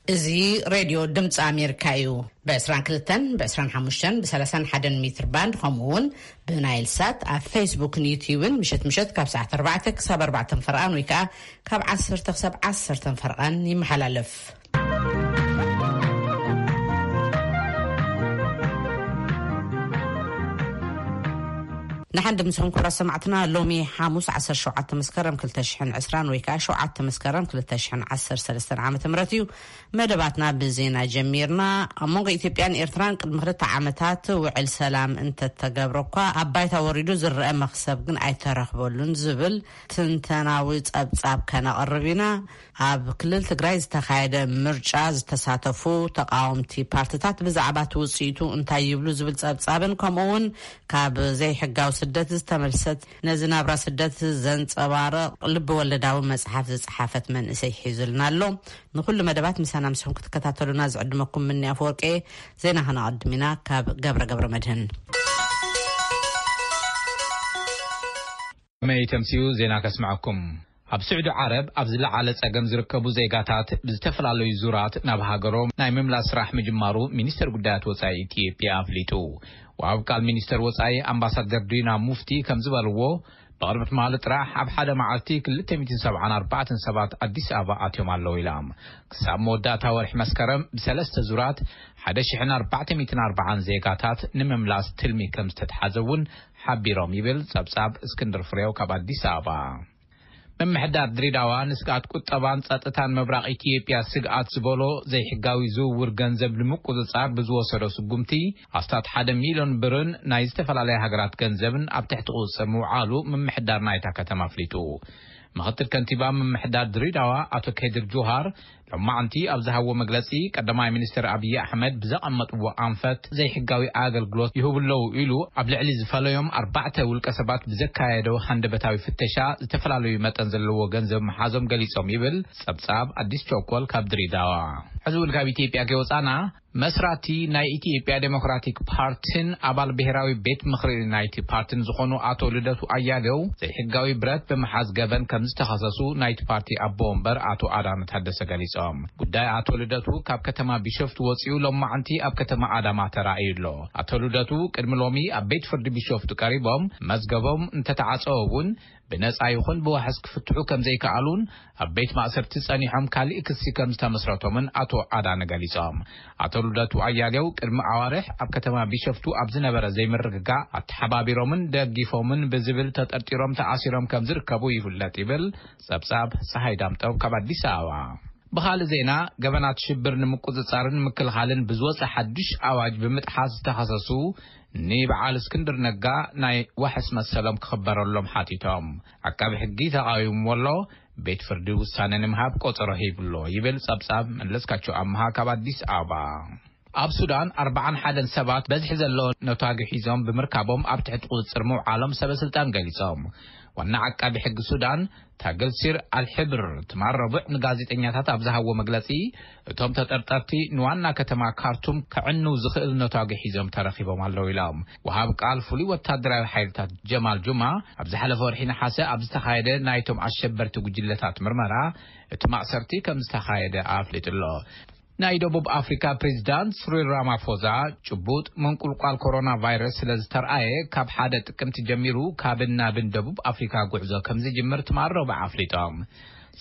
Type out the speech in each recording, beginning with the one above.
እዚ ሬድዮ ድምፂ ኣሜሪካ እዩ። ብ22፣ ብ25፣ ብ31 ሜትር ባንድ፣ ከምኡ እውን ብናይል ሳት ኣብ ፌስቡክን ዩትዩብን ምሸት ምሸት ካብ ሰዓት ኣርባዕተ ክሳብ ኣርባዕተ ፈርቓን ወይ ከዓ ካብ ዓሰርተ ክሳብ ዓሰርተ ፈርቓን ይመሓላለፍ። ንሓንዲ ምስኹም ክቡራት ሰማዕትና፣ ሎሚ ሓሙስ ዓሰርተ ሸውዓተ መስከረም ክልተ ሽሕን ዕስራን ወይ ከዓ ሸውዓተ መስከረም ክልተ ሽሕን ዓሰርተ ሰለስተን ዓመተ ምህረት እዩ። መደባትና ብዜና ጀሚርና። ኣብ መንጎ ኢትዮጵያን ኤርትራን ቅድሚ ክልተ ዓመታት ውዕል ሰላም እንተተገብረ እኳ፣ ኣብ ባይታ ወሪዱ ዝረአ መኽሰብ ግን ኣይተረኽበሉን ዝብል ትንተናዊ ጸብጻብ ከነቕርብ ኢና። ኣብ ክልል ትግራይ ዝተኻየደ ምርጫ ዝተሳተፉ ተቃወምቲ ፓርትታት ብዛዕባ እቲ ውጽኢቱ እንታይ ይብሉ ዝብል ጸብጻብን፣ ከምኡ እውን ካብ ዘይሕጋዊ ስደት ዝተመልሰት፣ ነዚ ናብራ ስደት ዘንጸባርቕ ልቢ ወለዳዊ መጽሓፍ ዝጸሓፈት መንእሰይ ሒዙልና ኣሎ። ንኹሉ መደባት ምሳና ምስኹም ክትከታተሉና ዝዕድመኩም ምኒ ኣፈወርቂ። ዜና ከነቐድም ኢና ካብ ገብረ ገብረ መድህን። መይ ተምሲኡ ዜና ከስምዐኩም። ኣብ ስዑዲ ዓረብ ኣብ ዝለዓለ ጸገም ዝርከቡ ዜጋታት ብዝተፈላለዩ ዙራት ናብ ሃገሮም ናይ ምምላስ ስራሕ ምጅማሩ ሚኒስተር ጉዳያት ወጻኢ ኢትዮጵያ ኣፍሊጡ። ወሃብ ቃል ሚኒስተር ወጻኢ ኣምባሳደር ዲና ሙፍቲ ከም ዝበልዎ፣ ብቕድሚ ትማሊ ጥራሕ ኣብ ሓደ መዓልቲ ክልተ ሚእትን ሰብዓን ኣርባዕተን ሰባት ኣዲስ ኣበባ ኣትዮም ኣለዉ ኢሎም። ክሳብ መወዳእታ ወርሒ መስከረም ብሰለስተ ዙራት ሓደ ሽሕን ኣርባዕተ ሚእትን ኣርባዓን ዜጋታት ንምምላስ ትልሚ ከም ዝተትሓዘ እውን ሓቢሮም ይብል ጸብጻብ እስክንድር ፍሬው ካብ ኣዲስ ኣበባ። ምምሕዳር ድሬዳዋ ንስግኣት ቁጠባን ጸጥታን ምብራቕ ኢትዮጵያ ስግኣት ዝበሎ ዘይሕጋዊ ዝውውር ገንዘብ ንምቁጽጻር ብዝወሰዶ ስጉምቲ ኣስታት ሓደ ሚልዮን ብርን ናይ ዝተፈላለያ ሃገራት ገንዘብን ኣብ ትሕቲ ቁጽጽር ምውዓሉ ምምሕዳር ናይታ ከተማ ኣፍሊጡ። ምኽትል ከንቲባ ምምሕዳር ድሬዳዋ ኣቶ ከድር ጁሃር ሎማዕንቲ ኣብ ዝሃብዎ መግለጺ፣ ቀዳማይ ሚኒስትር ኣብይ ኣሕመድ ብዘቐመጥዎ ኣንፈት ዘይሕጋዊ ኣገልግሎት ይህቡ ኣለዉ ኢሉ ኣብ ልዕሊ ዝፈለዮም ኣርባዕተ ውልቀ ሰባት ብዘካየዶ ሃንደበታዊ ፍተሻ ዝተፈላለዩ መጠን ዘለዎ ገንዘብ ምሓዞም ገሊጾም ይብል ጸብጻብ ኣዲስ ቸኮል ካብ ድሬዳዋ። ሕዚ እውን ካብ ኢትዮጵያ ከይወጻና፣ መስራቲ ናይ ኢትዮጵያ ዴሞክራቲክ ፓርቲን ኣባል ብሔራዊ ቤት ምኽሪ ናይቲ ፓርቲን ዝኾኑ ኣቶ ልደቱ ኣያሌው ዘይሕጋዊ ብረት ብምሓዝ ገበን ከም ዝተኸሰሱ ናይቲ ፓርቲ ኣቦ ወንበር ኣቶ ኣዳነ ታደሰ ገሊጾም። ጉዳይ ኣቶ ልደቱ ካብ ከተማ ቢሾፍቱ ወጺኡ ሎማዕንቲ ኣብ ከተማ ኣዳማ ተራእዩ ኣሎ። ኣቶ ልደቱ ቅድሚ ሎሚ ኣብ ቤት ፍርዲ ቢሾፍቱ ቀሪቦም መዝገቦም እንተተዓጸወ እውን ብነጻ ይኹን ብዋሕስ ክፍትሑ ከም ዘይከኣሉን ኣብ ቤት ማእሰርቲ ጸኒሖም ካልእ ክሲ ከም ዝተመስረቶምን ኣቶ ኣዳነ ገሊጾም። ኣቶ ልደቱ ኣያሌው ቅድሚ ኣዋርሕ ኣብ ከተማ ቢሸፍቱ ኣብ ዝነበረ ዘይምርግጋእ ኣተሓባቢሮምን ደጊፎምን ብዝብል ተጠርጢሮም ተኣሲሮም ከም ዝርከቡ ይፍለጥ ይብል ጸብጻብ ጸሃይ ዳምጠው ካብ ኣዲስ ኣበባ። ብኻልእ ዜና፣ ገበናት ሽብር ንምቁጽጻርን ምክልኻልን ብዝወጸ ሓድሽ ኣዋጅ ብምጥሓስ ዝተኸሰሱ ንበዓል እስክንድር ነጋ ናይ ዋሕስ መሰሎም ክኽበረሎም ሓቲቶም። ዓቃቢ ሕጊ ተቓዊምዎ ኣሎ። ቤት ፍርዲ ውሳነ ንምሃብ ቆጸሮ ሂብሎ ይብል ጸብጻብ መለስካቸው ኣምሃ ካብ ኣዲስ ኣበባ። ኣብ ሱዳን ኣርባዓን ሓደን ሰባት በዝሒ ዘለዎ ነታጊ ሒዞም ብምርካቦም ኣብ ትሕቲ ቁጽጽር ምውዓሎም ሰበ ስልጣን ገሊጾም። ዋና ዓቃቢ ሕጊ ሱዳን ታገልሲር ኣልሕብር ትማል ረቡዕ ንጋዜጠኛታት ኣብ ዝሃብዎ መግለጺ፣ እቶም ተጠርጠርቲ ንዋና ከተማ ካርቱም ከዕንው ዝኽእል ነታጊ ሒዞም ተረኺቦም ኣለዉ ኢሎም። ወሃብ ቃል ፍሉይ ወታደራዊ ሓይልታት ጀማል ጁማ ኣብ ዝሓለፈ ወርሒ ነሓሰ ኣብ ዝተኻየደ ናይቶም ኣሸበርቲ ጉጅለታት ምርመራ እቲ ማእሰርቲ ከም ዝተኻየደ ኣፍሊጡ ኣሎ። ናይ ደቡብ ኣፍሪካ ፕሬዚዳንት ስሪል ራማፎዛ ጭቡጥ ምንቁልቋል ኮሮና ቫይረስ ስለ ዝተርኣየ፣ ካብ ሓደ ጥቅምቲ ጀሚሩ ካብን ናብን ደቡብ ኣፍሪካ ጉዕዞ ከም ዝጅምር ትማል ረቡዕ ኣፍሊጦም።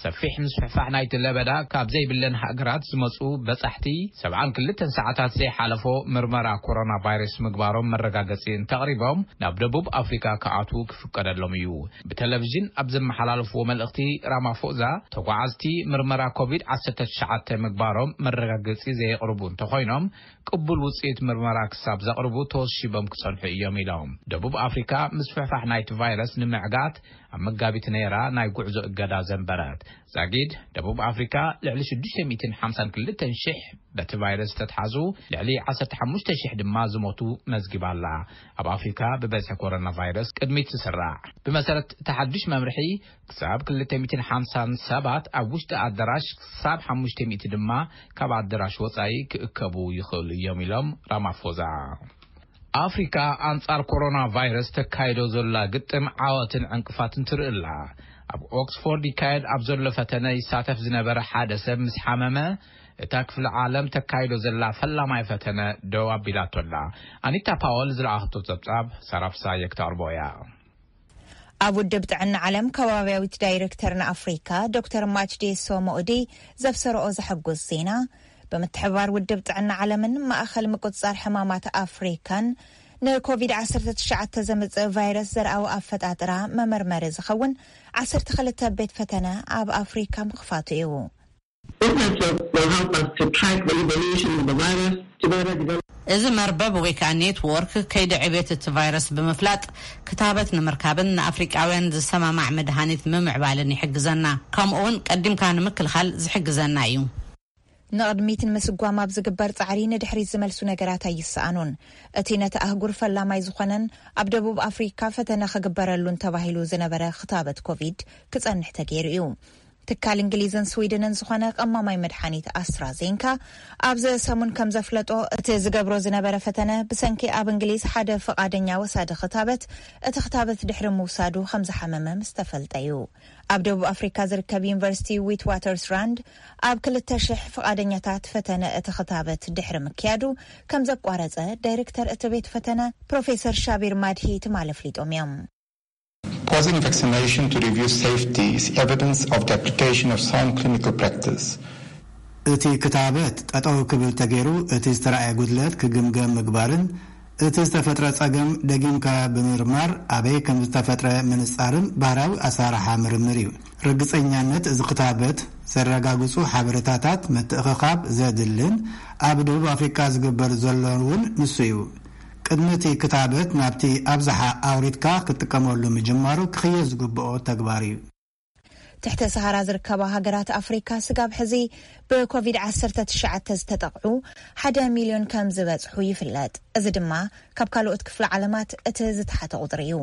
ሰፊሕ ምስፍሕፋሕ ናይቲ ለበዳ ካብ ዘይብለን ሃገራት ዝመፁ በፃሕቲ ሰብዓን ክልተን ሰዓታት ዘይሓለፎ ምርመራ ኮሮና ቫይረስ ምግባሮም መረጋገፂ እንተቕሪቦም ናብ ደቡብ ኣፍሪካ ክኣትዉ ክፍቀደሎም እዩ። ብቴሌቪዥን ኣብ ዘመሓላለፍዎ መልእኽቲ ራማፎዛ፣ ተጓዓዝቲ ምርመራ ኮቪድ ዓሰርተ ትሽዓተ ምግባሮም መረጋገፂ ዘየቕርቡ እንተኾይኖም፣ ቅቡል ውፅኢት ምርመራ ክሳብ ዘቕርቡ ተወሺቦም ክፀንሑ እዮም ኢሎም። ደቡብ ኣፍሪካ ምስፍሕፋሕ ናይቲ ቫይረስ ንምዕጋት ኣብ መጋቢት ነይራ ናይ ጉዕዞ እገዳ ዘንበረት። ዛጊድ ደቡብ ኣፍሪካ ልዕሊ ሽዱሽተ ሚእትን ሓምሳን ክልተን ሽሕ በቲ ቫይረስ ዝተትሓዙ፣ ልዕሊ ዓሰርተ ሓሙሽተ ሽሕ ድማ ዝሞቱ መዝጊባ ኣላ። ኣብ ኣፍሪካ ብበዝሒ ኮሮና ቫይረስ ቅድሚት ትስራዕ። ብመሰረት እቲ ሓድሽ መምርሒ፣ ክሳብ ክልተ ሚእትን ሓምሳን ሰባት ኣብ ውሽጢ ኣዳራሽ፣ ክሳብ ሓሙሽተ ሚእቲ ድማ ካብ ኣዳራሽ ወጻኢ ክእከቡ ይኽእሉ እዮም ኢሎም ራማፎዛ። ኣፍሪካ ኣንጻር ኮሮና ቫይረስ ተካይዶ ዘላ ግጥም ዓወትን ዕንቅፋትን ትርኢ ኣላ። ኣብ ኦክስፎርድ ይካየድ ኣብ ዘሎ ፈተነ ይሳተፍ ዝነበረ ሓደ ሰብ ምስ ሓመመ፣ እታ ክፍለ ዓለም ተካይዶ ዘላ ፈላማይ ፈተነ ደው ኣቢላቶ ኣላ። ኣኒታ ፓወል ዝለኣኸቶ ጸብጻብ ሳራ ፍሳየ ክተቕርቦ እያ። ኣብ ውድብ ጥዕና ዓለም ከባብያዊት ዳይሬክተር ንኣፍሪካ ዶክተር ማችዴሶ ሞኡዲ ዘብሰረኦ ዘሐጉስ ዜና፣ ብምትሕብባር ውድብ ጥዕና ዓለምን ማእኸል ምቁጽጻር ሕማማት ኣፍሪካን ንኮቪድ ዓሰርተ ትሽዓተ ዘምጽእ ቫይረስ ዘርኣዊ ኣፈጣጥራ መመርመሪ ዝኸውን ዓሰርተ ክልተ ቤት ፈተነ ኣብ ኣፍሪካ ምኽፋቱ እዩ። This network will help us to track the evolution of the virus, to better develop እዚ መርበብ ወይ ከዓ ኔትዎርክ ከይዲ ዕቤት እቲ ቫይረስ ብምፍላጥ ክታበት ንምርካብን ንኣፍሪቃውያን ዝሰማማዕ መድሃኒት ምምዕባልን ይሕግዘና። ከምኡ እውን ቀዲምካ ንምክልኻል ዝሕግዘና እዩ። ንቕድሚት ንምስጓም ኣብ ዝግበር ጻዕሪ ንድሕሪት ዝመልሱ ነገራት ኣይሰኣኑን። እቲ ነቲ ኣህጉር ፈላማይ ዝኾነን ኣብ ደቡብ ኣፍሪካ ፈተነ ክግበረሉን ተባሂሉ ዝነበረ ክታበት ኮቪድ ክጸንሕ ተገይሩ እዩ። ትካል እንግሊዝን ስዊድንን ዝኾነ ቀማማይ መድሓኒት ኣስትራዜንካ ኣብዚ ሰሙን ከም ዘፍለጦ፣ እቲ ዝገብሮ ዝነበረ ፈተነ ብሰንኪ ኣብ እንግሊዝ ሓደ ፍቓደኛ ወሳዲ ክታበት እቲ ክታበት ድሕሪ ምውሳዱ ከም ዝሓመመ ምስ ተፈልጠ እዩ። ኣብ ደቡብ ኣፍሪካ ዝርከብ ዩኒቨርሲቲ ዊት ዋተርስራንድ ኣብ ክልተ ሽሕ ፍቓደኛታት ፈተነ እቲ ክታበት ድሕሪ ምክያዱ ከም ዘቋረጸ ዳይሬክተር እቲ ቤት ፈተነ ፕሮፌሰር ሻቢር ማድሂ ትማል ኣፍሊጦም እዮም። Pausing vaccination to review safety is evidence of the application of sound clinical practice. እቲ ክታበት ጠጠው ክብል ተገይሩ እቲ ዝተረኣየ ጉድለት ክግምገም ምግባርን እቲ ዝተፈጥረ ጸገም ደጊምካ ብምርማር ኣበይ ከም ዝተፈጥረ ምንጻርን ባህራዊ ኣሰራርሓ ምርምር እዩ። ርግጸኛነት እዚ ክታበት ዘረጋግጹ ሓበሬታታት ምትእኽኻብ ዘድልን ኣብ ደቡብ ኣፍሪካ ዝግበር ዘሎ እውን ንሱ እዩ። ቅድሚ እቲ ክታበት ናብቲ ኣብዝሓ ኣውሪድካ ክትጥቀመሉ ምጅማሩ ክኽየድ ዝግብኦ ተግባር እዩ። ትሕተ ሰሃራ ዝርከባ ሃገራት ኣፍሪካ ስጋብ ሕዚ ብኮቪድ ዓሰርተ ትሽዓተ ዝተጠቕዑ ሓደ ሚልዮን ከም ዝበጽሑ ይፍለጥ። እዚ ድማ ካብ ካልኦት ክፍለ ዓለማት እቲ ዝተሓተ ቁጽሪ እዩ።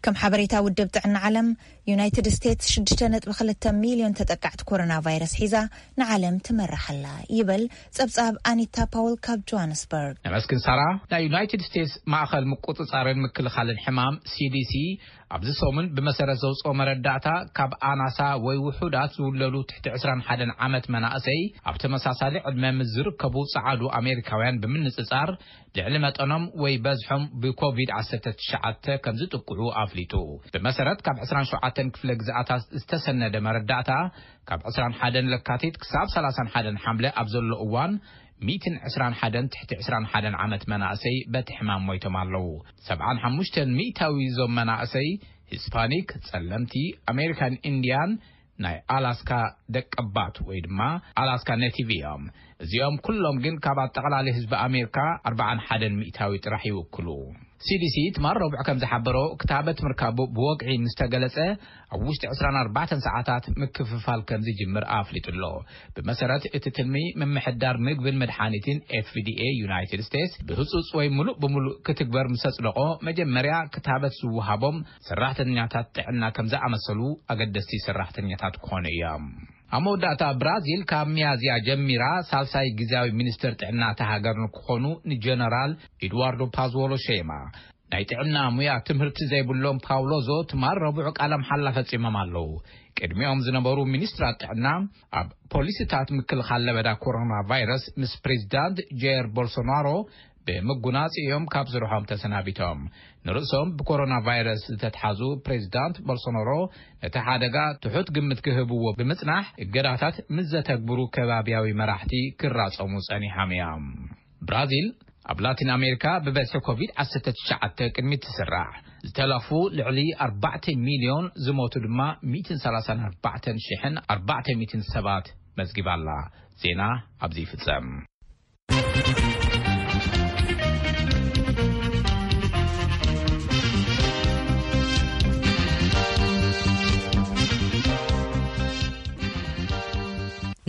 ከም ሓበሬታ ውድብ ጥዕና ዓለም፣ ዩናይትድ ስቴትስ ሽዱሽተ ነጥቢ ክልተ ሚልዮን ተጠቃዕቲ ኮሮና ቫይረስ ሒዛ ንዓለም ትመርሕ ኣላ ይብል ጸብጻብ ኣኒታ ፓውል ካብ ጆሃንስበርግ። ነመስግን ሳራ። ናይ ዩናይትድ ስቴትስ ማእኸል ምቁጽጻርን ምክልኻልን ሕማም ሲዲሲ ኣብዚ ሰሙን ብመሰረት ዘውፅኦ መረዳእታ ካብ ኣናሳ ወይ ውሑዳት ዝውለዱ ትሕቲ ዕስራን ሓደን ዓመት መናእሰይ ኣብ ተመሳሳሊ ዕድመ ምስ ዝርከቡ ጸዓዱ ኣሜሪካውያን ብምንጽጻር ልዕሊ መጠኖም ወይ በዝሖም ብኮቪድ ዓሰርተ ትሽዓተ ከም ዝጥቅዑ ኣፍሊጡ። ብመሰረት ካብ ዕስራን ሸውዓተን ክፍለ ግዝኣታት ዝተሰነደ መረዳእታ ካብ ዕስራን ሓደን ለካቲት ክሳብ ሰላሳን ሓደን ሓምለ ኣብ ዘሎ እዋን ሚእትን ዕስራን ሓደን ትሕቲ ዕስራን ሓደን ዓመት መናእሰይ በቲ ሕማም ሞይቶም ኣለዉ። ሰብዓን ሓሙሽተን ሚእታዊ እዞም መናእሰይ ሂስፓኒክ፣ ጸለምቲ፣ ኣሜሪካን ኢንድያን፣ ናይ ኣላስካ ደቀባት ወይ ድማ ኣላስካ ኔቲቭ እዮም። እዚኦም ኩሎም ግን ካብ ኣጠቓላሊ ህዝቢ ኣሜሪካ ኣርባዓን ሓደን ሚእታዊ ጥራሕ ይውክሉ። ሲዲሲ ትማል ረቡዕ ከም ዝሓበሮ ክታበት ምርካቡ ብወግዒ ምስ ተገለጸ ኣብ ውሽጢ ዕስራን ኣርባዕተን ሰዓታት ምክፍፋል ከም ዝጅምር ኣፍሊጡ ኣሎ። ብመሰረት እቲ ትልሚ ምምሕዳር ምግብን መድሓኒትን ኤፍዲኤ ዩናይትድ ስቴትስ ብህጹጽ ወይ ምሉእ ብምሉእ ክትግበር ምስ ኣጽደቖ መጀመርያ ክታበት ዝወሃቦም ሰራሕተኛታት ጥዕና ከም ዝኣመሰሉ ኣገደስቲ ሰራሕተኛታት ክኾኑ እዮም። ኣብ መወዳእታ ብራዚል ካብ ሚያዝያ ጀሚራ ሳልሳይ ግዝያዊ ሚኒስትር ጥዕና እታ ሃገር ንክኾኑ ንጀነራል ኤድዋርዶ ፓዝዎሎ ሸይማ። ናይ ጥዕና ሙያ ትምህርቲ ዘይብሎም ፓውሎዞ ትማል ረቡዕ ቃለ መሓላ ፈጺሞም ኣለዉ። ቅድሚኦም ዝነበሩ ሚኒስትራት ጥዕና ኣብ ፖሊሲታት ምክልኻል ለበዳ ኮሮና ቫይረስ ምስ ፕሬዚዳንት ጀየር ቦልሶናሮ ብምጉናጽ እዮም ካብ ስርሖም ተሰናቢቶም። ንርእሶም ብኮሮና ቫይረስ ዝተትሓዙ ፕሬዚዳንት ቦልሶናሮ ነቲ ሓደጋ ትሑት ግምት ክህብዎ ብምጽናሕ እገዳታት ምስ ዘተግብሩ ከባብያዊ መራሕቲ ክራጸሙ ጸኒሖም እዮም። ብራዚል ኣብ ላቲን ኣሜሪካ ብበዝሒ ኮቪድ ዓሰርተ ትሽዓተ ቅድሚ ትስራሕ ዝተለኽፉ ልዕሊ ኣርባዕተ ሚልዮን ዝሞቱ ድማ ሚእትን ሰላሳን ኣርባዕተን ሽሕን ኣርባዕተ ሚእትን ሰባት መዝጊባ ኣላ። ዜና ኣብዚ ይፍጸም።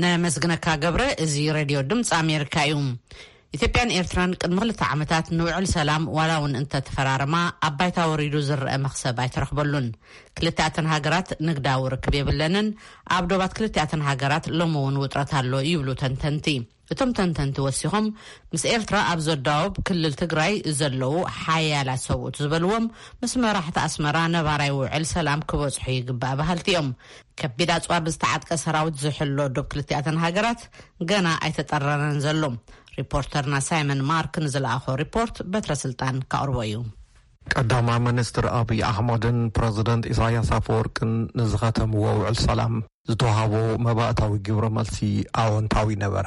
ነመስግነካ ገብረ። እዚ ሬድዮ ድምፂ ኣሜሪካ እዩ። ኢትዮጵያን ኤርትራን ቅድሚ ክልተ ዓመታት ንውዕል ሰላም ዋላ እውን እንተተፈራረማ ኣብ ባይታ ወሪዱ ዝረአ መኽሰብ ኣይተረኽበሉን። ክልቲኣተን ሃገራት ንግዳዊ ርክብ የብለንን። ኣብ ዶባት ክልቲኣተን ሃገራት ሎሚ እውን ውጥረት ኣሎ ይብሉ ተንተንቲ። እቶም ተንተንቲ ወሲኾም፣ ምስ ኤርትራ ኣብ ዘዳወብ ክልል ትግራይ ዘለዉ ሓያላት ሰብኡት ዝበልዎም፣ ምስ መራሕቲ ኣስመራ ነባራይ ውዕል ሰላም ክበጽሑ ይግባእ በሃልቲ እዮም። ከቢድ ኣጽዋር ብዝተዓጥቀ ሰራዊት ዝሕሎ ዶብ ክልቲኣተን ሃገራት ገና ኣይተጠረረን ዘሎ። ሪፖርተርና ሳይመን ማርክ ንዝለኣኾ ሪፖርት በትረ ስልጣን ካቕርቦ እዩ። ቀዳማይ ሚኒስትር ኣብይ ኣሕመድን ፕረዚደንት ኢሳያስ ኣፈወርቅን ንዝኸተምዎ ውዕል ሰላም ዝተዋህቦ መባእታዊ ግብረ መልሲ ኣወንታዊ ነበረ።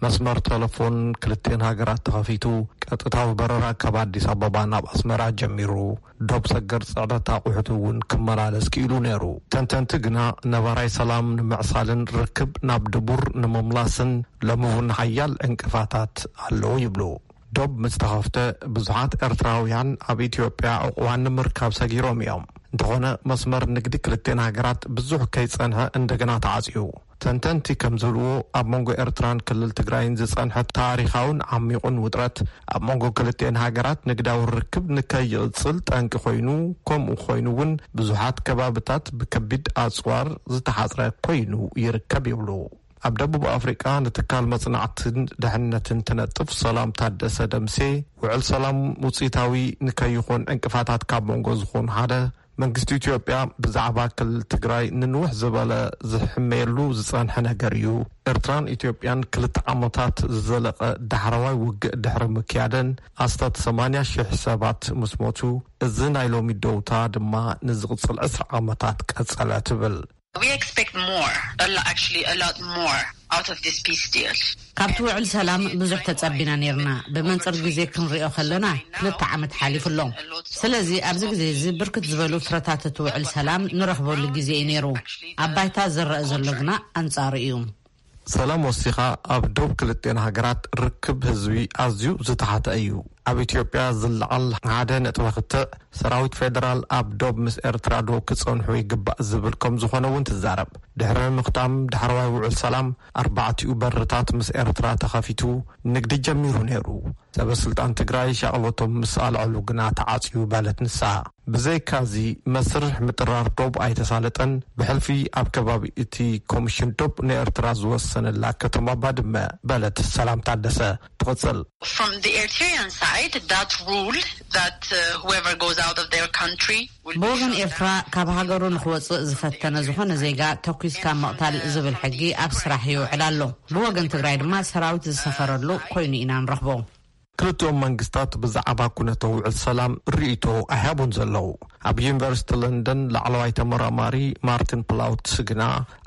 መስመር ቴሌፎን ክልቴን ሃገራት ተኸፊቱ፣ ቀጥታዊ በረራ ካብ ኣዲስ ኣበባ ናብ ኣስመራ ጀሚሩ፣ ዶብ ሰገር ጽዕነት ኣቑሑት እውን ክመላለስ ክኢሉ ነይሩ። ተንተንቲ ግና ነባራይ ሰላም ንምዕሳልን ርክብ ናብ ድቡር ንምምላስን ሎሚ እውን ሓያል ዕንቅፋታት ኣለዉ ይብሉ። ዶብ ምስ ተኸፍተ፣ ብዙሓት ኤርትራውያን ኣብ ኢትዮጵያ ዕቑባን ንምርካብ ሰጊሮም እዮም። እንተኾነ፣ መስመር ንግዲ ክልቴን ሃገራት ብዙሕ ከይጸንሐ እንደገና ተዓጽዩ። ተንተንቲ ከም ዝብልዎ፣ ኣብ መንጎ ኤርትራን ክልል ትግራይን ዝጸንሐ ታሪኻውን ዓሚቑን ውጥረት፣ ኣብ መንጎ ክልቴን ሃገራት ንግዳዊ ርክብ ንከይቕጽል ጠንቂ ኮይኑ፣ ከምኡ ኮይኑ እውን ብዙሓት ከባብታት ብከቢድ ኣጽዋር ዝተሓጽረ ኮይኑ ይርከብ ይብሉ። ኣብ ደቡብ ኣፍሪቃ ንትካል መጽናዕትን ድሕነትን ትነጥፍ ሰላም ታደሰ ደምሴ፣ ውዕል ሰላም ውጽኢታዊ ንከይኾን ዕንቅፋታት ካብ መንጎ ዝኾኑ ሓደ፣ መንግስቲ ኢትዮጵያ ብዛዕባ ክልል ትግራይ ንንውሕ ዝበለ ዝሕመየሉ ዝጸንሐ ነገር እዩ። ኤርትራን ኢትዮጵያን ክልተ ዓመታት ዝዘለቐ ዳሕረዋይ ውግእ ድሕሪ ምክያደን ኣስታት ሰማንያ ሺሕ ሰባት ምስ ሞቱ፣ እዚ ናይ ሎሚ ደውታ ድማ ንዝቕጽል ዕስራ ዓመታት ቀጸለ ትብል። We expect more, a lo- actually a lot more out of this peace deal. ካብቲ ውዕል ሰላም ብዙሕ ተጸቢና ነርና። ብመንጽር ግዜ ክንሪኦ ከለና ክልተ ዓመት ሓሊፉ ኣሎ። ስለዚ ኣብዚ ግዜ እዚ ብርክት ዝበሉ ፍረታት እቲ ውዕል ሰላም ንረኽበሉ ግዜ እዩ ነይሩ። ኣብ ባይታ ዝረአ ዘሎ ግና ኣንጻሩ እዩ። ሰላም ወሲኻ ኣብ ዶብ ክልቴን ሃገራት ርክብ ህዝቢ ኣዝዩ ዝተሓተ እዩ። ኣብ ኢትዮጵያ ዝለዓል ሓደ ነጥቢ ክትዕ ሰራዊት ፌደራል ኣብ ዶብ ምስ ኤርትራ ዶ ክጸንሑ ይግባእ ዝብል ከም ዝኾነ እውን ትዛረብ። ድሕሪ ምኽታም ዳሕረዋይ ውዕል ሰላም ኣርባዕቲኡ በርታት ምስ ኤርትራ ተኸፊቱ ንግዲ ጀሚሩ ነይሩ። ሰበ ስልጣን ትግራይ ሻቕሎቶም ምስ ኣልዐሉ ግና ተዓጽዩ በለት ንሳ። ብዘይካዚ መስርሕ ምጥራር ዶብ ኣይተሳለጠን። ብሕልፊ ኣብ ከባቢ እቲ ኮሚሽን ዶብ ንኤርትራ ዝወሰነላ ከተማ ባድመ በለት ሰላም ታደሰ ትቕጽል። From the Eritrean side, that rule that uh, whoever goes out of their country will be ብወገን shot ኤርትራ down. ካብ ሃገሩ ንክወፅእ ዝፈተነ ዝኾነ ዜጋ ተኩስካ ምቕታል ዝብል ሕጊ ኣብ ስራሕ ይውዕል ኣሎ። ብወገን ትግራይ ድማ ሰራዊት ዝሰፈረሉ ኮይኑ ኢና ንረኽቦ። ክልቲኦም መንግስታት ብዛዕባ ኩነተ ውዕል ሰላም ርእይቶ ኣይሃቡን ዘለዉ። ኣብ ዩኒቨርሲቲ ለንደን ላዕለዋይ ተመራማሪ ማርቲን ፕላውትስ ግና፣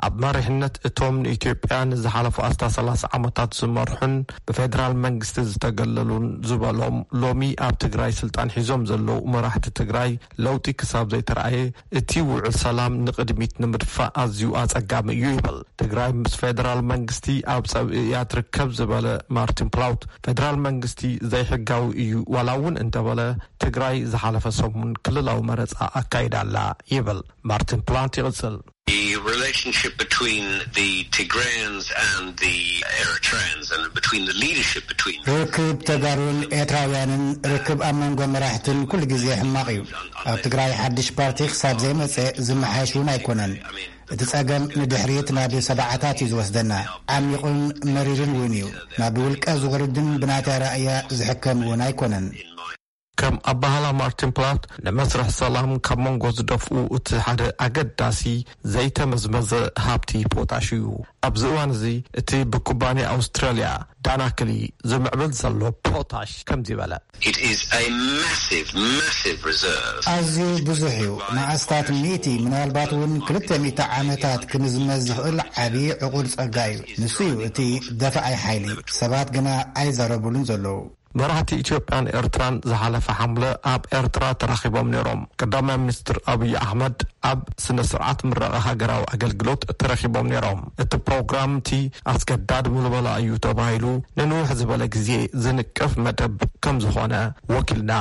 ኣብ መሪሕነት እቶም ንኢትዮጵያ ንዝሓለፉ ኣስታት ሰላሳ ዓመታት ዝመርሑን ብፌደራል መንግስቲ ዝተገለሉን ዝበሎም፣ ሎሚ ኣብ ትግራይ ስልጣን ሒዞም ዘለዉ መራሕቲ ትግራይ ለውጢ ክሳብ ዘይተረኣየ፣ እቲ ውዕል ሰላም ንቕድሚት ንምድፋእ ኣዝዩ ኣጸጋሚ እዩ ይብል። ትግራይ ምስ ፌደራል መንግስቲ ኣብ ጸብእ እያ ትርከብ ዝበለ ማርቲን ፕላውት፣ ፌደራል መንግስቲ ዘይሕጋዊ እዩ ዋላ እውን እንተበለ፣ ትግራይ ዝሓለፈ ሰሙን ክልላዊ መረጻ ኣካይዳ ኣላ ይብል። ማርቲን ፕላውት ይቕጽል። The relationship between the Tigrayans and the Eritreans and between the leadership between ርክብ ተጋሩን ኤርትራውያንን፣ ርክብ ኣብ መንጎ መራሕትን ኩሉ ግዜ ሕማቕ እዩ። ኣብ ትግራይ ሓድሽ ፓርቲ ክሳብ ዘይመጸ ዝመሓየሽ እውን ኣይኮነን። እቲ ጸገም ንድሕሪት ናብ ሰብዓታት እዩ ዝወስደና። ዓሚቑን መሪርን እውን እዩ። ናብ ውልቀ ዝወርድን ብናታ ራእያ ዝሕከም እውን ኣይኮነን። ከም ኣባህላ ማርቲን ፕላት፣ ንመስርሕ ሰላም ካብ መንጎ ዝደፍኡ እቲ ሓደ ኣገዳሲ ዘይተመዝመዘ ሃብቲ ፖታሽ እዩ። ኣብዚ እዋን እዚ እቲ ብኩባንያ ኣውስትራልያ ዳናክሊ ዝምዕብል ዘሎ ፖታሽ ከምዚ በለ። It is a massive, massive reserve. ኣዝዩ ብዙሕ እዩ። መዓስታት ሚእቲ፣ ምናልባት እውን ክልተ ሚእቲ ዓመታት ክምዝመዝ ዝኽእል ዓቢ ዕቑር ጸጋ እዩ። ንሱ እዩ እቲ ደፋኣይ ሓይሊ። ሰባት ግና ኣይዛረቡሉን ዘለዉ። መራሕቲ ኢትዮጵያን ኤርትራን ዝሓለፈ ሓምለ ኣብ ኤርትራ ተራኺቦም ነይሮም። ቀዳማይ ሚኒስትር ኣብይ ኣሕመድ ኣብ ስነ ስርዓት ምረቓ ሃገራዊ ኣገልግሎት ተረኺቦም ነይሮም። እቲ ፕሮግራም እቲ ኣስገዳድ ምልመላ እዩ ተባሂሉ ንንውሕ ዝበለ ግዜ ዝንቀፍ መደብ ከም ዝኾነ ወኪልና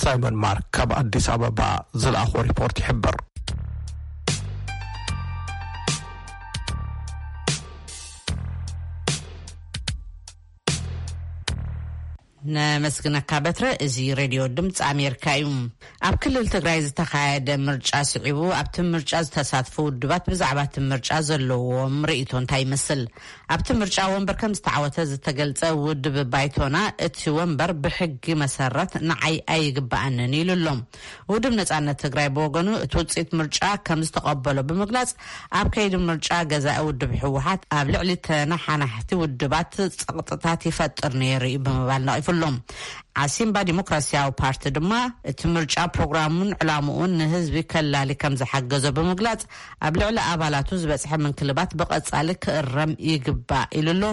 ሳይሞን ማርክ ካብ ኣዲስ ኣበባ ዝለኣኾ ሪፖርት ይሕብር። ነመስግነካ በትረ። እዚ ሬድዮ ድምፂ ኣሜሪካ እዩ። ኣብ ክልል ትግራይ ዝተኻየደ ምርጫ ስዒቡ ኣብቲ ምርጫ ዝተሳትፉ ውድባት ብዛዕባ እቲ ምርጫ ዘለዎም ርእይቶ እንታይ ይመስል? ኣብቲ ምርጫ ወንበር ከም ዝተዓወተ ዝተገልጸ ውድብ ባይቶና፣ እቲ ወንበር ብሕጊ መሰረት ንዓይ ኣይግባኣንን ኢሉ ኣሎ። ውድብ ነጻነት ትግራይ ብወገኑ እቲ ውፅኢት ምርጫ ከም ዝተቐበሎ ብምግላጽ፣ ኣብ ከይዲ ምርጫ ገዛኢ ውድብ ህወሓት ኣብ ልዕሊ ተነሓናሕቲ ውድባት ጸቕጥታት ይፈጥር ነይሩ እዩ ብምባል ነቒፉ ኣሎ። ዓሲምባ ዲሞክራሲያዊ ፓርቲ ድማ እቲ ምርጫ ፕሮግራሙን ዕላምኡን ንህዝቢ ከላሊ ከም ዝሓገዞ ብምግላጽ፣ ኣብ ልዕሊ ኣባላቱ ዝበጽሐ ምንክልባት ብቐጻሊ ክእረም ይግባእ ኢሉ ኣሎ።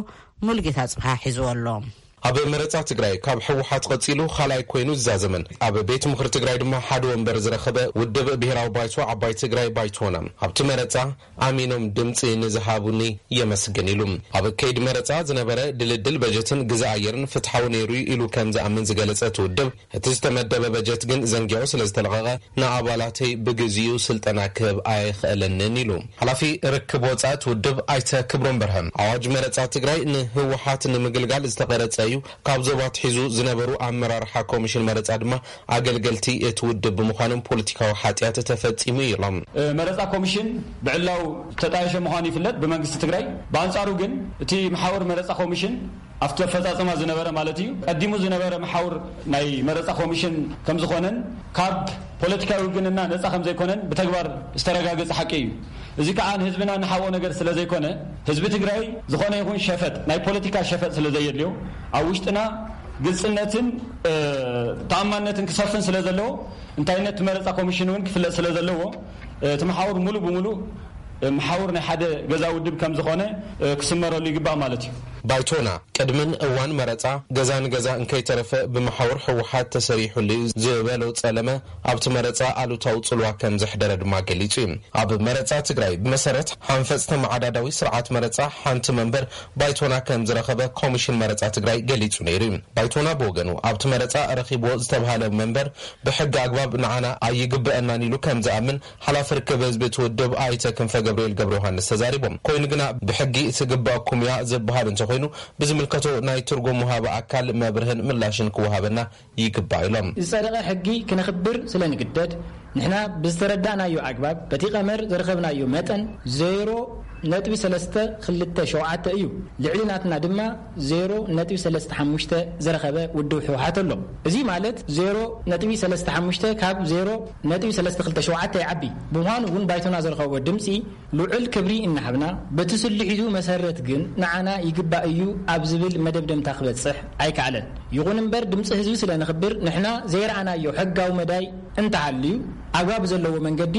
ሙሉጌታ ጽብሃ ሒዝዎ ኣሎ። ኣብ መረጻ ትግራይ ካብ ህወሓት ቀጺሉ ካልኣይ ኮይኑ ዝዛዘመን ኣብ ቤት ምኽሪ ትግራይ ድማ ሓደ ወንበር ዝረኸበ ውድብ ብሄራዊ ባይቶ ዓባይ ትግራይ ባይቶና፣ ኣብቲ መረጻ ኣሚኖም ድምፂ ንዝሃቡኒ የመስግን ኢሉ። ኣብ ከይዲ መረፃ ዝነበረ ድልድል በጀትን ግዛ ኣየርን ፍትሓዊ ነይሩ ኢሉ ከም ዝኣምን ዝገለፀ እቲ ውድብ፣ እቲ ዝተመደበ በጀት ግን ዘንጊዑ ስለ ዝተለቐቐ ንኣባላተይ ብግዚኡ ስልጠና ክህብ ኣይኽእልንን ኢሉ። ሓላፊ ርክብ ወፃኢ እቲ ውድብ ኣይተ ክብሮም በርሀ፣ ኣዋጅ መረፃ ትግራይ ንህወሓት ንምግልጋል ዝተቐረፀ እዩ፣ ካብ ዞባ ኣትሒዙ ዝነበሩ ኣመራርሓ ኮሚሽን መረፃ ድማ ኣገልገልቲ እቲ ውድብ ብምዃኖም ፖለቲካዊ ሓጢኣት ተፈጺሙ እዩ ኢሎም። መረጻ ኮሚሽን ብዕላው ተጣየሸ ምዃኑ ይፍለጥ ብመንግስቲ ትግራይ። ብኣንጻሩ ግን እቲ መሓውር መረጻ ኮሚሽን ኣብቲ ኣፈጻጸማ ዝነበረ ማለት እዩ፣ ቀዲሙ ዝነበረ መሓውር ናይ መረጻ ኮሚሽን ከም ዝኾነን ካብ ፖለቲካዊ ውግንና ነጻ ከም ዘይኮነን ብተግባር ዝተረጋገጸ ሓቂ እዩ። እዚ ከዓ ንህዝብና ንሓብኦ ነገር ስለ ዘይኮነ፣ ህዝቢ ትግራይ ዝኾነ ይኹን ሸፈጥ፣ ናይ ፖለቲካ ሸፈጥ ስለ ዘየድልዮ፣ ኣብ ውሽጥና ግልጽነትን ተኣማንነትን ክሰፍን ስለ ዘለዎ፣ እንታይነት እቲ መረጻ ኮሚሽን እውን ክፍለጥ ስለ ዘለዎ፣ እቲ መሓውር ሙሉእ ብሙሉእ መሓውር ናይ ሓደ ገዛ ውድብ ከም ዝኾነ ክስመረሉ ይግባእ ማለት እዩ። ባይቶና ቅድምን እዋን መረጻ ገዛ ንገዛ እንከይተረፈ ብመሓውር ህወሓት ተሰሪሑሉ እዩ ዝበሎ ጸለመ ኣብቲ መረጻ ኣሉታዊ ጽልዋ ከም ዘሕደረ ድማ ገሊጹ እዩ። ኣብ መረጻ ትግራይ ብመሰረት ሓንፈጽ ተመዓዳዳዊ ስርዓት መረጻ ሓንቲ መንበር ባይቶና ከም ዝረኸበ ኮሚሽን መረጻ ትግራይ ገሊጹ ነይሩ እዩ። ባይቶና ብወገኑ ኣብቲ መረጻ ረኺብዎ ዝተብሃለ መንበር ብሕጊ ኣግባብ ንዓና ኣይግበአናን ኢሉ ከም ዝኣምን ሓላፊ ርክብ ህዝቢ እቲ ውድብ ኣይተ ክንፈ ገብርኤል ገብረ ዮሃንስ ተዛሪቦም። ኮይኑ ግና ብሕጊ ትግበአኩም እያ ዝበሃል እንተኾይኑ ብዝምልከቶ ናይ ትርጉም ወሃቢ ኣካል መብርህን ምላሽን ክወሃበና ይግባእ ኢሎም። ዝጸደቐ ሕጊ ክነኽብር ስለ ንግደድ፣ ንሕና ብዝተረዳእናዮ ኣግባብ፣ በቲ ቀመር ዝረኸብናዮ መጠን ዜሮ ነጥቢ ሰለስተ ክልተ ሸውዓተ እዩ። ልዕሊ ናትና ድማ ዜሮ ነጥቢ ሰለስተ ሓሙሽተ ዝረኸበ ውድብ ህወሓት ኣሎ። እዚ ማለት ዜሮ ነጥቢ ሰለስተ ሓሙሽተ ካብ ዜሮ ነጥቢ ሰለስተ ክልተ ሸውዓተ ይዓቢ። ብምዃኑ እውን ባይቶና ዝረኸቦ ድምፂ ልዑል ክብሪ እናሃብና፣ በቲ ስልሒቱ መሰረት ግን ንዓና ይግባእ እዩ ኣብ ዝብል መደምደምታ ክበጽሕ ኣይከኣለን። ይኹን እምበር ድምፂ ህዝቢ ስለ ነኽብር ንሕና ዘይረኣናዮ ሕጋዊ መዳይ እንተሃልዩ ኣግባብ ዘለዎ መንገዲ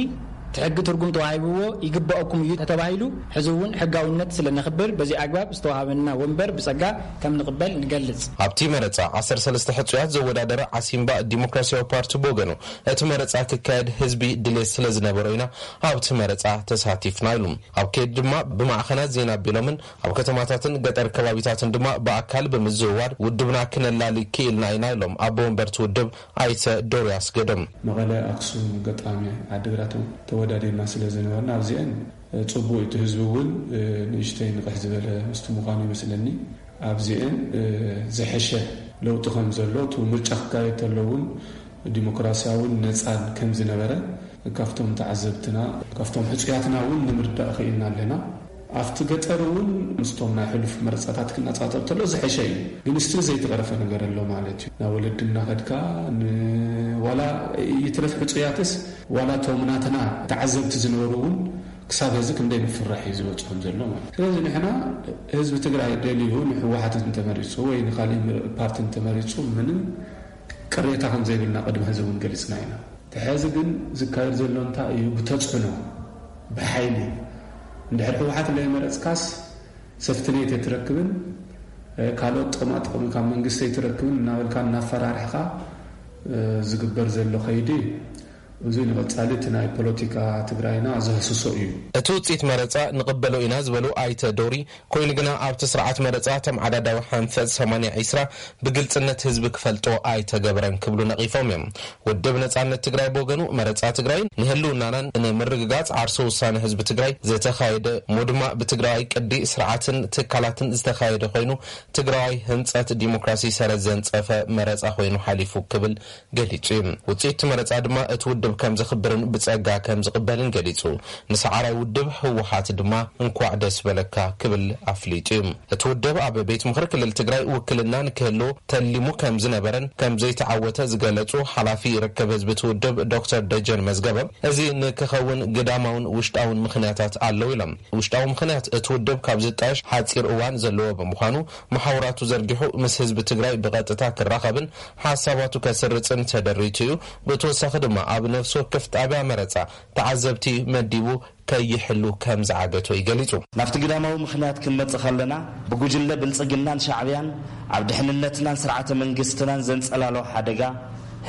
እቲ ሕጊ ትርጉም ተዋሂብዎ ይግባኦኩም እዩ ተተባሂሉ ሕዚ እውን ሕጋውነት ስለ ነኽብር በዚ ኣግባብ ዝተዋሃበና ወንበር ብጸጋ ከም ንቕበል ንገልጽ። ኣብቲ መረጻ ዓሰርተ ሰለስተ ሕጹያት ዘወዳደረ ዓሲምባ ዲሞክራሲያዊ ፓርቲ ብወገኑ እቲ መረጻ ክካየድ ህዝቢ ድሌት ስለ ዝነበሮ ኢና ኣብቲ መረጻ ተሳቲፍና ኢሉ። ኣብ ከይዲ ድማ ብማዕኸናት ዜና ኣቢሎምን ኣብ ከተማታትን ገጠር ከባቢታትን ድማ ብኣካል ብምዝውዋር ውድብና ክነላሊ ክኢልና ኢና ኢሎም ኣቦ ወንበርቲ ውድብ ኣይተ ዶርያስ ገዶም። መቐለ፣ ኣክሱም፣ ገጣሚ፣ ዓዲግራት እውን ተወዳዲርና ስለ ዝነበርና ኣብዚአን ጽቡቅ እዩ። እቲ ህዝቢ እውን ንእሽተይ ንቕሕ ዝበለ ምስቲ ምዃኑ ይመስለኒ። ኣብዚአን ዝሐሸ ለውጢ ከም ዘሎ፣ እቲ ምርጫ ክካየድ ተሎ እውን ዲሞክራሲያውን ነጻን ከም ዝነበረ ካብቶም ተዓዘብትና፣ ካብቶም ሕጹያትና እውን ንምርዳእ ክኢልና ኣለና። ኣብቲ ገጠር እውን ምስቶም ናይ ሕሉፍ መረጻታት ክነጻጸር ተሎ ዝሐሸ እዩ። ግን ስትል ዘይተቐረፈ ነገር ኣሎ ማለት እዩ። ናብ ወለዲ እናኸድካ ን-፣ ዋላ ይትረፍ ሕጹያትስ፣ ዋላ እቶም ናትና ተዓዘብቲ ዝነበሩ እውን ክሳብ ሕዚ ክንደይ ምፍራሕ እዩ ዝበጽሖም ዘሎ ማለት እዩ። ስለዚ ንሕና ህዝቢ ትግራይ ደልዩ ንህወሓት እንተመሪጹ ወይ ንኻሊእ ፓርቲ እንተመሪጹ ምንም ቅሬታ ከም ዘይብልና ቅድሚ ሕዚ እውን ገሊጽና ኢና። እቲ ሕዚ ግን ዝካየድ ዘሎ እንታይ እዩ? ብተጽዕኖ፣ ብሓይሊ። እንድሕር ህወሓት ለይመረጽካስ ሰፍትኔት ኣይትረክብን፣ ካልኦት ጥቕማ ጥቕሚ ካብ መንግስቲ ኣይትረክብን እናበልካ እናፈራርሕኻ ዝግበር ዘሎ ከይዲ እዚ ንቐጻሊ እቲ ናይ ፖለቲካ ትግራይና ዘህስሶ እዩ። እቲ ውፅኢት መረፃ ንቕበሎ ኢና ዝበሉ ኣይተ ዶሪ፣ ኮይኑ ግና ኣብቲ ስርዓት መረፃ ተመዓዳዳዊ ሓንፈፅ ሰማንያ ዒስራ ብግልፅነት ህዝቢ ክፈልጦ ኣይተገበረን ክብሉ ነቒፎም እዮም። ውድብ ነፃነት ትግራይ ብወገኑ፣ መረፃ ትግራይ ንህልውናናን ንምርግጋፅ ዓርሶ ውሳነ ህዝቢ ትግራይ ዝተኻየደ እሞ ድማ ብትግራዋይ ቅዲ ስርዓትን ትካላትን ዝተኻየደ ኮይኑ፣ ትግራዋይ ህንፀት ዲሞክራሲ ሰረት ዘንፀፈ መረፃ ኮይኑ ሓሊፉ ክብል ገሊጹ እዩ። ውጽኢት እቲ መረጻ ድማ እቲ ውድብ ከም ዘኽብርን ብጸጋ ከም ዝቕበልን ገሊጹ። ንሰዓራይ ውድብ ህወሓት ድማ እንኳዕ ደስ በለካ ክብል ኣፍሊጡ እዩ። እቲ ውድብ ኣብ ቤት ምኽሪ ክልል ትግራይ ውክልና ንክህልዎ ተሊሙ ከም ዝነበረን ከም ዘይተዓወተ ዝገለጹ ሓላፊ ርክብ ህዝቢ እቲ ውድብ ዶክተር ደጀን መዝገበ፣ እዚ ንክኸውን ግዳማውን ውሽጣውን ምኽንያታት ኣለዉ ኢሎም። ውሽጣዊ ምኽንያት እቲ ውድብ ካብ ዝጣየሽ ሓጺር እዋን ዘለዎ ብምዃኑ፣ መሓውራቱ ዘርጊሑ ምስ ህዝቢ ትግራይ ብቐጥታ ክራኸብን ሓሳባቱ ከስርጽን ተደሪቱ እዩ። ብተወሳኺ ድማ ኣብ ነፍሲ ወከፍ ጣብያ መረጻ ተዓዘብቲ መዲቡ ከይሕሉ ከም ዝዓገቶ እዩ ገሊጹ። ናብቲ ግዳማዊ ምኽንያት ክንመጽእ ከለና፣ ብጉጅለ ብልጽግናን ሻዕብያን ኣብ ድሕንነትናን ስርዓተ መንግስትናን ዘንጸላሎ ሓደጋ፣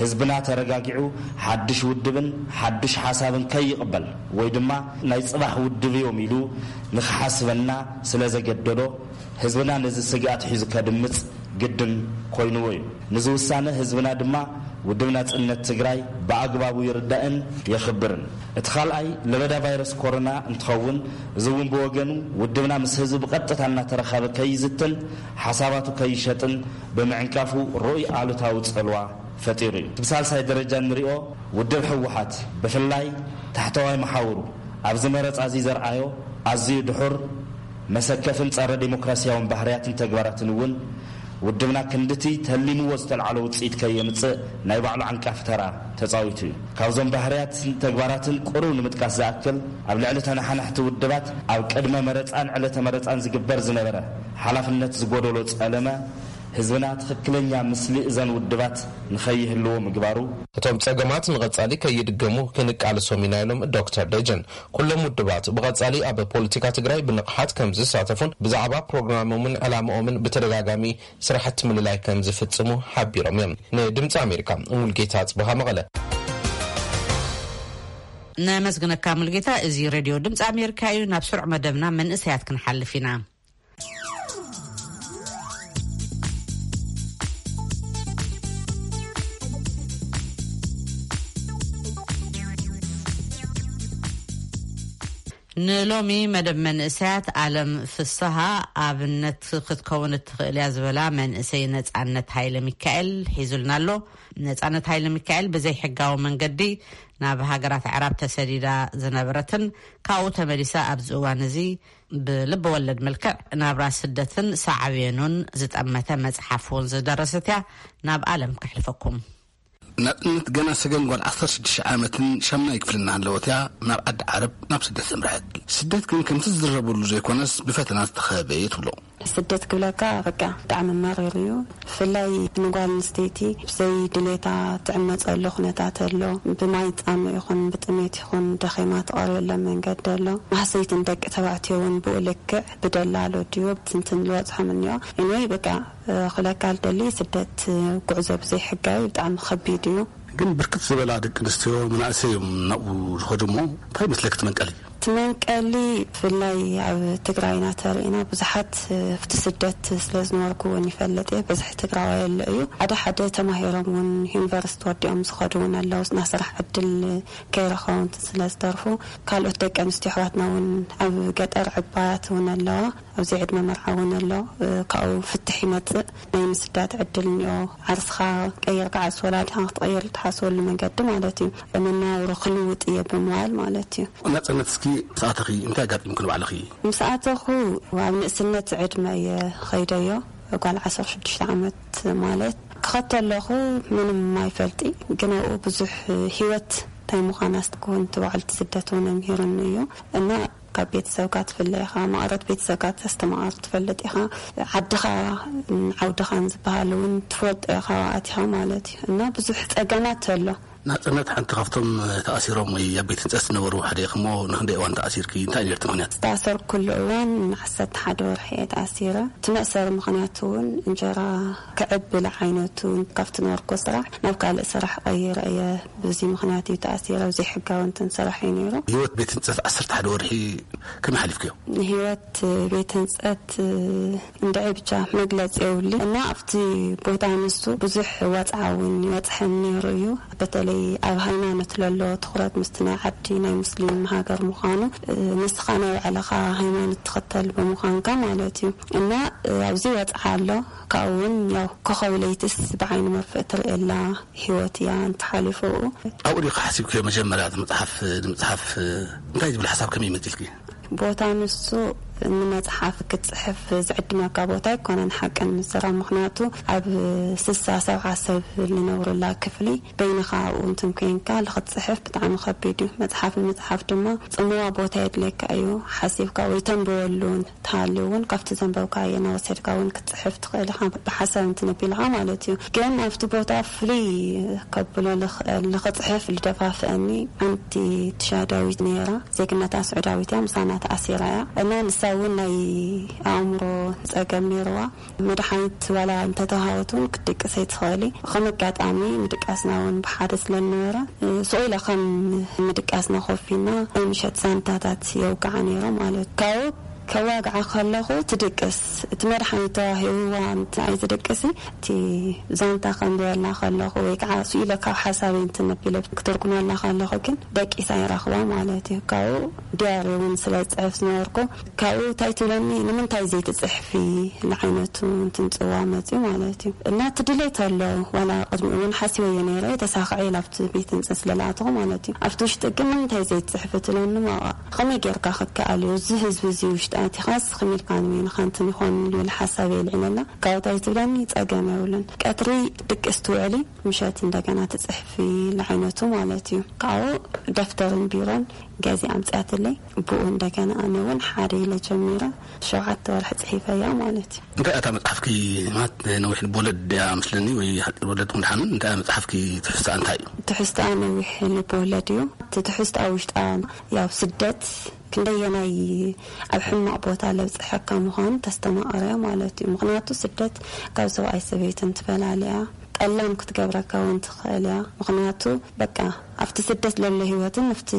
ህዝብና ተረጋጊዑ ሓድሽ ውድብን ሓድሽ ሓሳብን ከይቕበል ወይ ድማ ናይ ጽባሕ ውድብ እዮም ኢሉ ንኽሓስበና ስለ ዘገደዶ፣ ህዝብና ነዚ ስግኣት ሒዙ ከድምጽ ግድን ኮይንዎ እዩ። ንዚ ውሳነ ህዝብና ድማ ውድብ ናጽነት ትግራይ ብኣግባቡ ይርዳእን የኽብርን። እቲ ካልኣይ ለበዳ ቫይረስ ኮሮና እንትኸውን፣ እዚ እውን ብወገኑ ውድብና ምስ ህዝቢ ብቐጥታ እናተረኸበ ከይዝትን ሓሳባቱ ከይሸጥን ብምዕንቃፉ ርኡይ ኣሉታዊ ጽልዋ ፈጢሩ እዩ። እቲ ብሳልሳይ ደረጃ እንሪኦ ውድብ ህወሓት ብፍላይ ታሕተዋይ መሓውሩ ኣብዚ መረጻ እዚ ዘርኣዮ ኣዝዩ ድሑር መሰከፍን ጸረ ዴሞክራሲያውን ባህርያትን ተግባራትን እውን ውድብና ክንድቲ ተሊምዎ ዝተልዓሎ ውጽኢት ከየምጽእ ናይ ባዕሉ ዓንቃፊ ተራ ተጻዊቱ እዩ። ካብዞም ባህርያትን ተግባራትን ቁሩብ ንምጥቃስ ዝኣክል፣ ኣብ ልዕሊ ተነሓናሕቲ ውድባት ኣብ ቅድመ መረጻን ዕለተ መረጻን ዝግበር ዝነበረ ሓላፍነት ዝጎደሎ ጸለመ፣ ህዝብና ትኽክለኛ ምስሊ እዘን ውድባት ንኸይህልዎ ምግባሩ። እቶም ጸገማት ንቐጻሊ ከይድገሙ ክንቃለሶም ኢና ኢሎም ዶክተር ደጀን። ኩሎም ውድባት ብቐጻሊ ኣብ ፖለቲካ ትግራይ ብንቕሓት ከም ዝሳተፉን ብዛዕባ ፕሮግራሞምን ዕላምኦምን ብተደጋጋሚ ስራሕቲ ምልላይ ከም ዝፍጽሙ ሓቢሮም እዮም። ንድምፂ ኣሜሪካ፣ ሙልጌታ ጽበሃ፣ መቐለ። ነመስግነካ ሙልጌታ። እዚ ሬድዮ ድምፂ ኣሜሪካ እዩ። ናብ ስሩዕ መደብና መንእሰያት ክንሓልፍ ኢና። ንሎሚ መደብ መንእሰያት ኣለም ፍስሃ ኣብነት ክትከውን እትኽእል እያ ዝበላ መንእሰይ ነጻነት ሃይለ ሚካኤል ሒዙልና ኣሎ። ነጻነት ሃይለ ሚካኤል ብዘይ ሕጋዊ መንገዲ ናብ ሃገራት ኣዕራብ ተሰዲዳ ዝነበረትን ካብኡ ተመሊሳ ኣብዚ እዋን እዚ ብልቢ ወለድ መልክዕ ናብራ ስደትን ሳዕቤኑን ዝጠመተ መጽሓፍ እውን ዝደረሰት እያ። ናብ ኣለም ከሕልፈኩም። ናጽነት ገና ሰገን ጓል ዓሰርተ ሽዱሽተ ዓመትን ሻምናይ ክፍልን እናሃለወት እያ ናብ ዓዲ ዓረብ ናብ ስደት ዘምርሐት። ስደት ግን ከምቲ ዝዝረበሉ ዘይኮነስ ብፈተና ዝተኸበበ እየ ትብሎ። ስደት ክብለካ በቃ ብጣዕሚ መሪር እዩ። ብፍላይ ንጓል ኣንስተይቲ ብዘይ ድሌታ ትዕመፀሉ ኩነታት ኣሎ። ብማይ ፃምእ ይኹን ብጥሜት ይኹን ደኺማ ትቐርበሎም መንገዲ ኣሎ። ማህሰይትን ደቂ ተባዕትዮ እውን ብኡ ልክዕ ብደላሎ ድዮ ብትንትን ዝወፅሖም እኒኦ። Anyway በቃ ክብለካ ዝደሊ ስደት ጉዕዞ ብዘይ ሕጋዊ ብጣዕሚ ከቢድ እዩ። ግን ብርክት ዝበላ ደቂ ኣንስትዮ መናእሰይ እዮም ናብኡ ዝኸዱ እሞ እንታይ ይመስለክ እቲ መንቀሊ? እቲ መንቀሊ ብፍላይ ኣብ ትግራይና ተሪእና ብዙሓት ኣብቲ ስደት ስለ ዝነበርኩ እውን ይፈልጥ እየ። በዝሒ ትግራዋይ ኣሎ እዩ። ሓደ ሓደ ተማሂሮም እውን ዩኒቨርሲቲ ወዲኦም ዝኸዱ እውን ኣለዉ። ናይ ስራሕ ዕድል ከይረኸቡ እንትን ስለ ዝተርፉ ካልኦት ደቂ ኣንስትዮ ኣሕዋትና እውን ኣብ ገጠር ዕባያት እውን ኣለዋ። ኣብዚ ዕድመ መርዓ እውን ኣሎ። ካብኡ ፍትሕ ይመፅእ። ናይ ምስዳድ ዕድል እኒኦ። ዓርስኻ ቀይርካ ዓርሲ ወላዲኻ ክትቐይር ትሓስበሉ መንገዲ ማለት እዩ። መነባብሮ ክልውጥ እየ ብምባል ማለት እዩ። ናጽነት እስኪ ምስ ኣተኺ እንታይ ኣጋጢምኩ ንባዕልኺ? ምስ ኣተኹ ኣብ ንእስነት ዕድመ እየ ኸይደዮ። ጓል ዓሰርተ ሽዱሽተ ዓመት ማለት ክኸድ ተለኹ ምንም ኣይፈልጢ፣ ግን ኣብኡ ብዙሕ ህይወት እንታይ ምዃና ክውን እቲ በዓልቲ ስደት እውን ኣምሂሩኒ እዩ። እና ካብ ቤተሰብካ ትፍለ ኢኻ፣ ማዕረት ቤተሰብካ ተስተማቐር ትፈልጥ ኢኻ። ዓድኻ ዓውድኻን ዝበሃል እውን ትፈልጦ ኢኻ ኣብኡ ኣቲኻ ማለት እዩ። እና ብዙሕ ጸገማት ኣሎ። ናጽነት፣ ሓንቲ ካብቶም ተኣሲሮም ወይ ኣብ ቤት ህንጸት ዝነበሩ ሓደ ኢኹም እሞ፣ ንክንደይ እዋን ተኣሲርኪ? እንታይ ነይሩ እቲ ምኽንያት? ዝተኣሰርኩሉ እዋን ንዓሰርተ ሓደ ወርሒ እየ ተኣሲረ። እቲ መእሰሪ ምኽንያት እውን እንጀራ ክዕብል ዓይነቱ፣ ካብቲ ነበርኩ ስራሕ ናብ ካልእ ስራሕ ቀይረ እየ። በዚ ምኽንያት እዩ ተኣሲረ። ዘይሕጋዊ እንትን ስራሕ እዩ ነይሩ። ህይወት ቤት ህንጸት ዓሰርተ ሓደ ወርሒ ከመይ ሓሊፍክዮ? ንህይወት ቤት ህንጸት እንድዒ ብቻ መግለጺ የብሉን። እና ኣብቲ ቦታ ንሱ ብዙሕ ወጽዓ እውን ይበጽሐኒ ነይሩ እዩ። በተለይ ኣብ ሃይማኖት ለሎ ትኹረት ምስቲ ናይ ዓዲ ናይ ሙስሊም ሃገር ምዃኑ፣ ንስኻ ናይ ባዕልኻ ሃይማኖት ትኽተል ብምዃንካ ማለት እዩ። እና ኣብዚ ወጽዓ ኣሎ። ካብኡ እውን ያው ኮኸብ ለይትስ ብዓይኒ መርፍእ ትርእየላ ህይወት እያ እንተሓሊፉ። ኣብኡ ዲኺ ሓሲብክዮ መጀመርያ እቲ መጽሓፍ ንምጽሓፍ? እንታይ ዝብል ሓሳብ ከመይ መጺልኪ? ቦታ ንሱ ንመጽሓፍ ክትጽሕፍ ዝዕድመካ ቦታ ኣይኮነን፣ ሓቅን ምስራ። ምኽንያቱ ኣብ ስሳ ሰብዓ ሰብ ዝነብሩላ ክፍሊ በይንኻ ኣብኡ እንትን ኮንካ ንኽትጽሕፍ ብጣዕሚ ከቢድ እዩ። መጽሓፍ ንምጽሓፍ ድማ ጽምዋ ቦታ የድልየካ እዩ። ሓሲብካ ወይ ተንብበሉ እንተሃልዩ እውን ካብቲ ዘንበብካዮ እናወሰድካ እውን ክትጽሕፍ ትኽእል ኢኻ፣ ብሓሳብ እንትንቢልኻ ማለት እዩ። ግን ኣብቲ ቦታ ፍሉይ ከብሎ ልኽእል፣ ንኽጽሕፍ ልደፋፍአኒ ሓንቲ ትሻዳዊት ነይራ። ዜግነታ ስዑዳዊት እያ፣ ምሳና ተኣሲራ እያ። እና ንሳ እውን ናይ ኣእምሮ ጸገም ነይርዋ። መድሓኒት ዋላ እንተተሃወት እውን ክትድቅስ ኣይትኽእሊ። ከም ኣጋጣሚ ምድቃስና እውን ብሓደ ስለ ዝነበረ፣ ስቕ ኢለ ከም ምድቃስና ኮፍ ኢልና ናይ ምሸት ዛንታታት የውግዓ ነይረ ማለት እዩ። ካብኡ ከዋግዓ ከለኹ ትድቅስ፣ እቲ መድሓኒት ተዋሂብዋ እንተ ኣይትድቅሲ፣ እቲ ዛንታ ከንብበላ ከለኹ ወይ ከዓ ስኢለ ካብ ሓሳበይ እንትንቢለ ክትርጉመላ ከለኹ ግን ደቂሳ ይረኽባ ማለት እዩ። ካብኡ ዲያሪ እውን ስለ ዝፅሕፍ ዝነበርኩ፣ ካብኡ እንታይ ትብለኒ፣ "ንምንታይ ዘይትፅሕፊ?" ንዓይነቱ እንትንፅዋ መፅዩ ማለት እዩ። እና እቲ ድሌት ኣሎ፣ ዋላ ቅድሚ እውን ሓሲበዮ ነይረ፣ ተሳኽዐ ኣብቲ ቤት ህንፀት ስለለኣተኹ ማለት እዩ። ኣብቲ ውሽጢ ግን "ንምንታይ ዘይትፅሕፊ?" ትብለኒ። ማ ከመይ ጌርካ ክከኣል እዩ? እዚ ህዝቢ እዚ ውሽጢ ኣቲኻስ ከመይ ኢልካ ንበይንኻ እንትን ይኾን ዝብል ሓሳብ የልዒለላ። ካብኡ እንታይ ትብለኒ? ጸገም የብሉን። ቀትሪ ድቅስ ትውዕሊ፣ ምሸት እንደገና ትጽሕፊ፣ ንዓይነቱ ማለት እዩ። ካብኡ ደፍተርን ቢሮን ገዚኣ ኣምጺኣትለይ፣ ብኡ እንደገና ኣነ እውን ሓደ ኢለ ጀሚረ፣ ሸውዓተ ወርሒ ጽሒፈያ ማለት እዩ። እንታይ እታ መጽሓፍኪ? ማለት ነዊሕ ልቦለድ እያ መስለኒ፣ ወይ ሓጺር ወለድ ምድሓንን? እንታይ እያ መጽሓፍኪ? ትሕዝቶኣ እንታይ እዩ? ትሕዝቶኣ ነዊሕ ልቦለድ እዩ። እቲ ትሕዝቶኣ ውሽጣ ያው ስደት ክንደየናይ ኣብ ሕማቕ ቦታ ለብጽሐካ ምዃኑ ተስተማቕርያ ማለት እዩ። ምኽንያቱ ስደት ካብ ሰብኣይ ሰበይትን ትፈላልያ፣ ጠላም ክትገብረካ እውን ትኽእል እያ። ምኽንያቱ በቃ ኣብቲ ስደት ለሎ ህይወትን ኣብቲ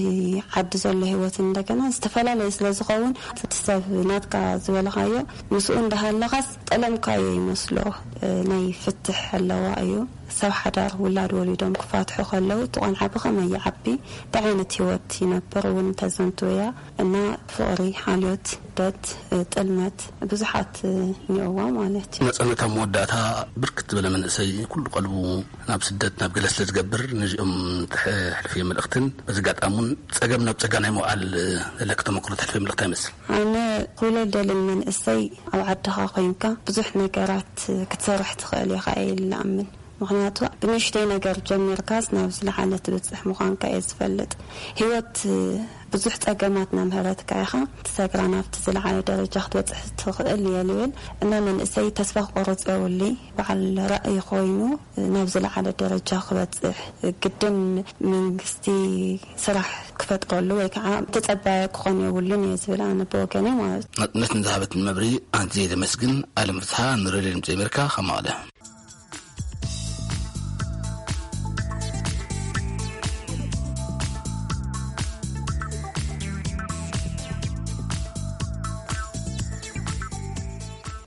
ዓዲ ዘሎ ህይወትን እንደገና ዝተፈላለየ ስለ ዝኸውን፣ እቲ ሰብ ናትካ ዝበልኻዮ ምስኡ እንዳሃለኻስ ጠለምካዮ ይመስሎ። እ፣ ናይ ፍትሕ ኣለዋ እዩ። ሰብ ሓዳር ውላድ ወሊዶም ክፋትሑ ከለዉ እቲ ቆልዓ ብኸመይ ይዓቢ፣ እንታይ ዓይነት ህይወት ይነብር እውን ተዘንቱ እያ። እና ፍቕሪ፣ ሓልዮት፣ ስደት፣ ጥልመት ብዙሓት እኒኦዋ ማለት እዩ። መጸነት ኣብ መወዳእታ ብርክት ዝበለ መንእሰይ ኩሉ ቀልቡ ናብ ስደት ናብ ገለ ስለ ዝገብር ነዚኦም ተሕልፍዮ መልእኽትን በዚ ኣጋጣሚ እውን ጸገም ናብ ጸጋ ናይ ምውዓል ዘለኪ ተመክሮ ተሕልፍዮ መልእኽቲ ይመስል? ኣነ ኩለ ደልን መንእሰይ ኣብ ዓድኻ ኮይንካ ብዙሕ ነገራት ክትሰርሕ ትኽእል ኢኻ ኢለ እኣምን። ምኽንያቱ ብንእሽተይ ነገር ጀሚርካስ ናብ ዝለዓለ ትብጽሕ ምዃንካ እየ ዝፈልጥ። ህይወት ብዙሕ ጸገማት እናምሀረትካ ኢኻ ትሰግራ ናብቲ ዝለዓለ ደረጃ ክትበጽሕ ትኽእል እየ ልብል። እና መንእሰይ ተስፋ ክቆርጽ የብሉይ። በዓል ራእይ ኮይኑ ናብ ዝለዓለ ደረጃ ክበጽሕ ግድን መንግስቲ ስራሕ ክፈጥረሉ ወይ ከዓ ተጸባየ ክኾን የብሉን እየ ዝብል ኣነ ብወገነይ ማለት እዩ። ናጽነት ንዝሃበትን መብርሂ ኣዝየ ዘመስግን። ኣለም ፍስሓ፣ ንሬድዮ ድምጺ ኣሜሪካ፣ ካብ መቐለ።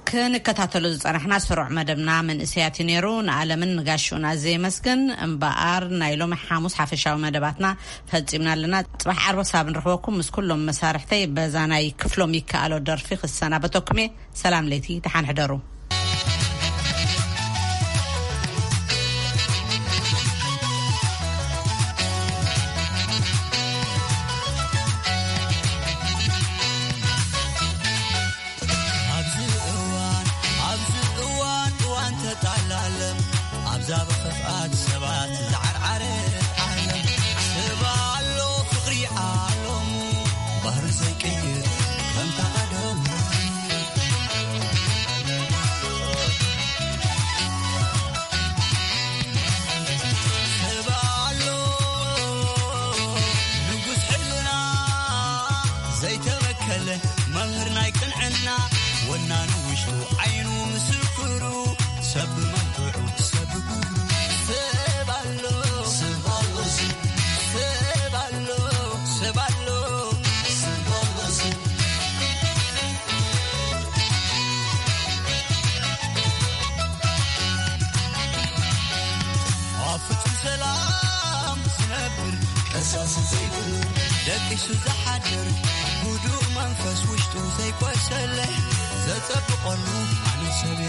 ክንከታተሎ ዝጸናሕና ስሩዕ መደብና መንእሰያት እዩ ነይሩ። ንኣለምን ንጋሽኡን ኣዝየ የመስግን። እምበኣር ናይ ሎሚ ሓሙስ ሓፈሻዊ መደባትና ፈጺምና ኣለና። ጽባሕ ዓርቢ ክሳብ ንረኽበኩም ምስ ኩሎም መሳርሕተይ በዛ ናይ ክፍሎም ይከኣሎ ደርፊ ክሰናበተኩም እየ። ሰላም ለይቲ፣ ደሓን ሕደሩ። ኣብዚ እዋን፣ ኣብዚ እዋን፣ እዋን ተጣላለም፣ ኣብዛ ብኽፍኣት ሰባት ዝዓርዓረት ዓለም፣ ስባ ኣሎ ፍቕሪ ዓለሙ፣ ባህሪ ዘይቅይር ከምታ ቀደሙ። ስባ ኣሎ ደቂሱ ዝሓድር ህዱእ መንፈስ ውሽጡ ዘይቆሰለ ዘጸብቐሉ ኣነ ሰብ